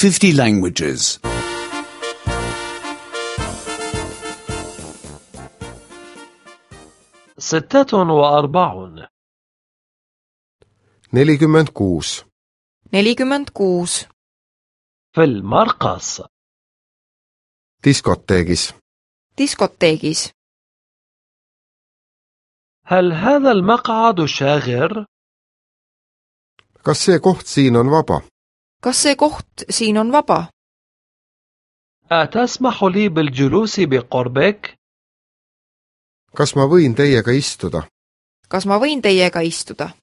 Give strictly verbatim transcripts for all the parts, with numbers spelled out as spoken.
fifty languages. ستة وأربعون nelikümmend kuus. nelikümmend kuus. في المرقص. diskoteegis. diskoteegis. هل هذا المقعد شاغر؟ kas see koht siin on vaba? kas see koht siin on vaba? أتسمح لي بالجلوس بقربك؟ kas ma võin teiega istuda? kas ma võin teiega istuda?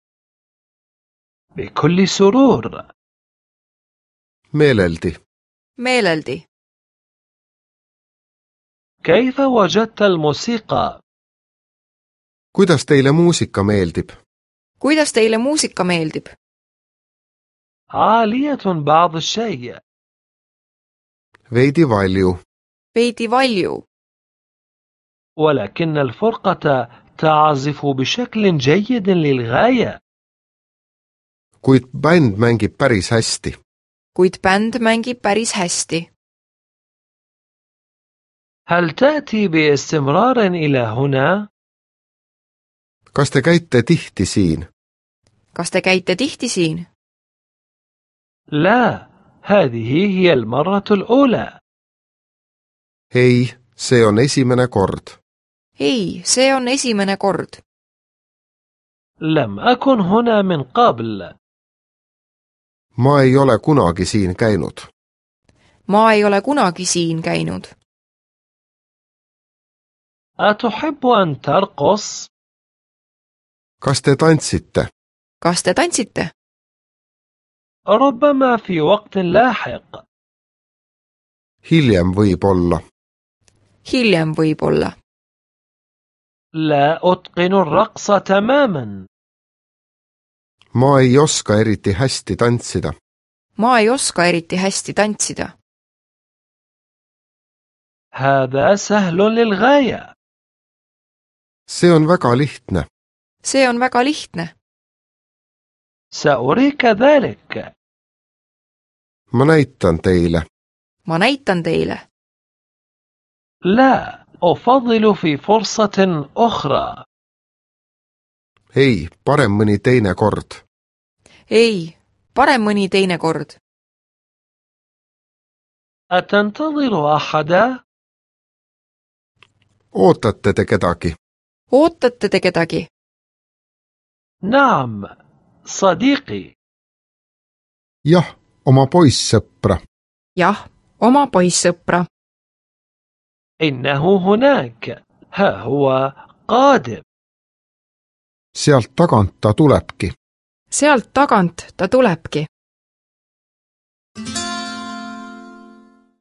بكل سرور. meeleldi. meeleldi. كيف وجدت الموسيقى؟ kuidas teile muusika meeldib? kuidas teile muusika meeldib? عالية بعض الشيء. veidi valju. veidi valju. ولكن الفرقة تعزف بشكل جيد للغاية. kuid bänd mängib päris hästi. kuid bänd mängib päris hästi. هل تأتي باستمرار إلى هنا؟ kas te käite tihti siin? kas te käite tihti siin? لا، هذه هي المرة الأولى. ei, see on esimene kord. ei, see on esimene kord. لم أكن هنا من قبل. ma ei ole kunagi siin käinud. ma ei ole kunagi siin käinud. أتحب أن ترقص؟ kas te tantsite? kas te tantsite? ربما في وقت لاحق. hiljem võib-olla. hiljem võib-olla. لا أتقن الرقص تماما. ma ei oska eriti hästi tantsida. ma ei oska eriti hästi tantsida. هذا سهل للغاية. see on väga lihtne. see on väga lihtne. سأريك ذلك. ma näitan teile. ma näitan teile. لا، أفضل في فرصة أخرى. ei, parem mõni teine kord. ei, parem mõni teine kord. أتنتظر أحدا؟ ootate te kedagi? ootate te kedagi? نعم، صديقي. jah, oma poissõpra. jah, oma poissõpra. إنه هناك. ها هو قادم. sealt tagant ta tulebki. sealt tagant ta tulebki.